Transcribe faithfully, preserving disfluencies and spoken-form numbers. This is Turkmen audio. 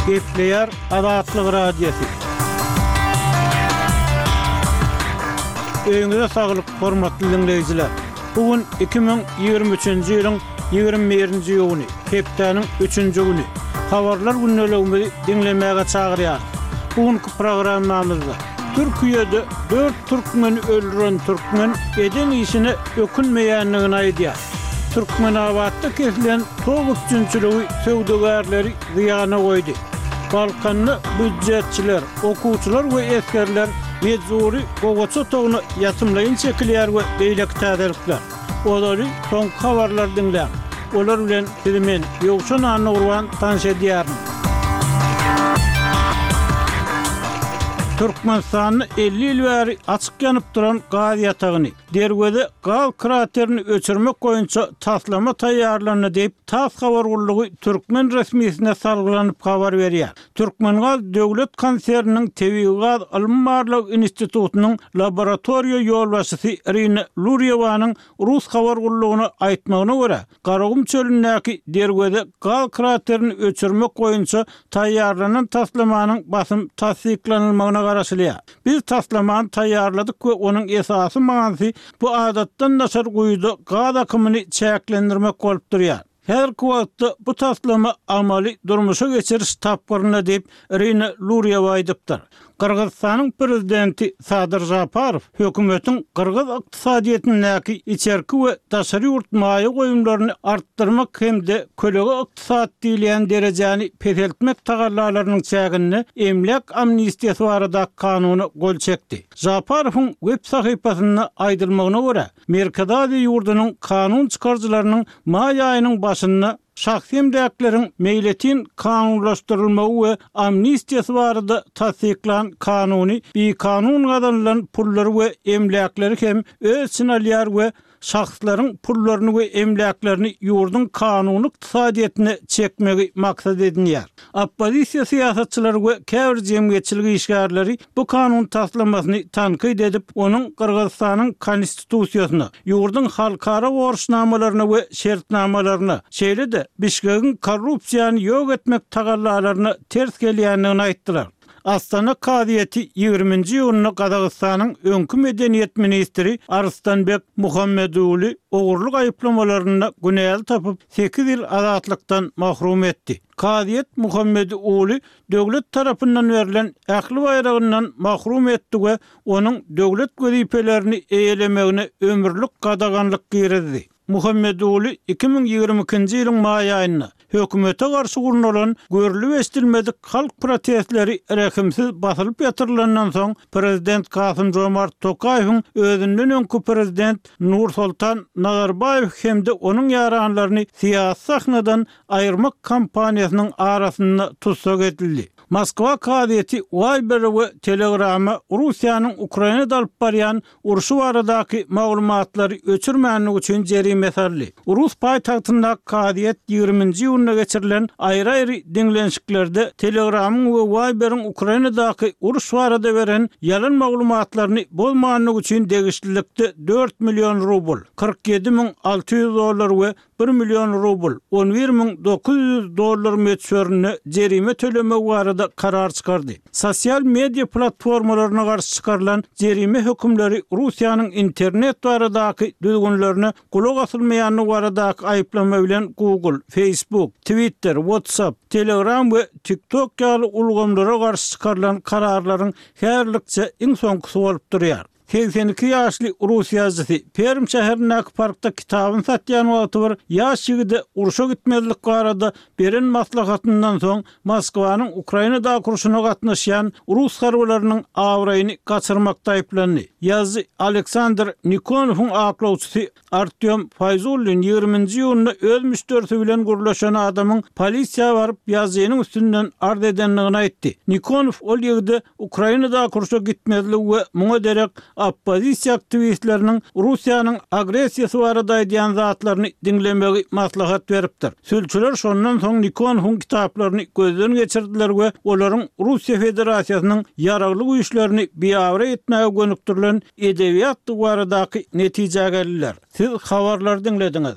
Gepleýär Azatlyk Radiosy. Öýüňize saglyk, hormatly diňleýjiler! Bu gün iki müň ýigrimi üçünji ýylyň ýigrimi birinji iýuny, hepdäniň üçünji güni. Habarlar gündeligimizi diňlemäge çagyrýarys. Bu günki programmamyzda Türkiýede dört türkmeni öldüren türkmen eden işine ökünmeýändigini aýdýar. Türkmenabatda kesilen tok üpjünçiligi söwdagärleri zyýana goýdy. Balkanda býujetçiler, okuwçylar we esgerler mejbury gowaça otagyna ýatymlaýyn çekilýär we beýleki täzelikler. Ozaly soňky habarlary diňläň. Olar bilen sizi men, Ýowşan Annagurban tanyş edýärin. Türkmenistanda elli ýyl bäri açyk ýanyp duran gaz ýatagyny, Derweze gaz kraterini öçürmek boýunça taslama taýýarlandy diýip, tass habar gullugy türkmen resmisine salgylanyp habar berýär. Türkmengaz döwlet konserniniň Tebigy gaz ylmy-barlag institutynyň laboratoriýa ýolbaşçysy Irina Lurýewanyň rus habar gullugyna aýtmagyna görä, Garagum çölündäki Derweze gaz kraterini öçürmek boýunça taýýarlanan taslamanyň basym tassyklanylmagyna garaşylýar. Biz taslamany taýýarladyk we onuň esasy manysy bu adatdan daşary guýuda gaz akymyny çäklendirmek bolup durýar. Häzirki wagtda bu taslama amaly durmuşa geçiriş tapgyrynda diýip, Irina Lurýewa aýdypdyr. Gyrgyzystanyň prezidenti Sadyr Žaparow hökümetiň gyrgyz ykdysadyýetindäki içerki we daşary ýurt maýa goýumlaryny artdyrmak hem-de kölege ykdysady diýilýän derejäni peseltmek tagallalarynyň çäginde emläk amnistiýasy baradaky kanuna gol çekdi. Žaparowyň web sahypasynda aýdylmagyna görä, Merkezi Aziýa ýurdunyň kanun çykaryjylarynyň maý aýynyň başynda şahsy emläkleriň meýletin kanunlaşdyrylmagy we amnistiýasy barada tassyklan kanuny bikanun gazanylan pullary we emläkleri hem öz içine alýar we şahslaryň pullaryny we emläklerini ýurduň kanuny ykdysadyýetine çekmegi maksat edinýär. Oppozisiýa syýasatçylary we käbir jemgyýetçilik işgärleri bu kanun taslamasyny tankyt edip, onuň Gyrgyzystanyň Konstitusiýasyna, ýurduň halkara borçnamalaryna we şertnamalaryna, şeýle-de Bişkegiň korrupsiýany ýok etmek tagallalaryna ters gelýändigini aýtdylar. Astana kazyýeti ýigriminji iýunda Gazagystanyň öňki medeniýet ministri Arystanbek Muhammeduly ogurlyk aýyplamalarynda günäli tapyp, sekiz ýyl azatlykdan mahrum etdi. Kazyýet Muhammediuly döwlet tarapyndan berlen ähli baýragyndan mahrum etdi we onuň döwlet wezipelerini eýelemegine ömürlik gadaganlyk girizdi. Muhammeduly iki müň ýigrimi ikinji ýylyň maý aýynda hökümete garşy gurnalan görlüp-eşidilmedik halk protestleri rehimsiz basylyp ýatyrylandan soň, prezident Kasym-Žomart Tokaýewiň özünden öňki prezident Nursoltan Nazarbaýew hem-de onuň ýaranlaryny syýasy sahnadan aýyrmak kampaniýasynyň arasynda tussag edildi. Moskwa kazyýeti Waýbere we Telegrama Russiýanyň Ukrainada alyp barýan urşy baradaky maglumatlary öçürmänligi üçin jerime saldy. Rus paýtagtyndaky kazyýet ýigriminji iýunda geçirilen aýry-aýry diňlenişiklerde Telegramyň we Waýberiň Ukrainadaky uruş barada beren ýalan maglumatlaryny bozmanlygy üçin degişlilikde dört million rubl, kyrk ýedi müň alty ýüz dollar, we bir million rubl, on bir müň dokuz ýüz dollar möçberinde jerime tölemegi barada karar çykardy. Sosial media platformalaryna garşy çykarylan jerime hökümleri Russiýanyň internet baradaky düzgünlerine gulak asylmaýandygy baradaky aýyplama bilen Google, Facebook, Twitter, WhatsApp, Telegram we TikTok ýaly ulgamlara garşy çykarylan kararlaryň häzirlikçe iň soňkusy bolup durýar. Segsen iki ýaşly rus ýazyjysy Perm şäherindäki parkda kitabyny satýan wagty bir ýaş ýigide urşa gitmezlik barada beren maslahatyndan soň Moskwanyň Ukrainadaky urşuna gatnaşýan rus harbylarynyň abraýyny gaçyrmakda aýyplandy. Ýazyjy Aleksandr Nikonowyň aklawçysy Artýom Faýzullin ýigriminji iýunda öz müşderisi bilen gürleşen adamyň polisiýa baryp, ýazyjynyň üstünden arz edendigini aýtdy. Nikonow ol ýigide Ukrainadaky urşa gitmezligi we muňa derek oppozisiýa aktiwistleriniň Russiýanyň agressiýasy barada aýdýan zatlaryny diňlemegi maslahat beripdir. Sülçüler şondan soň Nikonowyň kitaplaryny gözden geçirdiler we olaryň Russiýa Federasiýasynyň ýaragly güýçlerini biabraý etmäge gönükdirilen edebiýatdygy baradaky netijä geldiler. Siz habarlary diňlediňiz.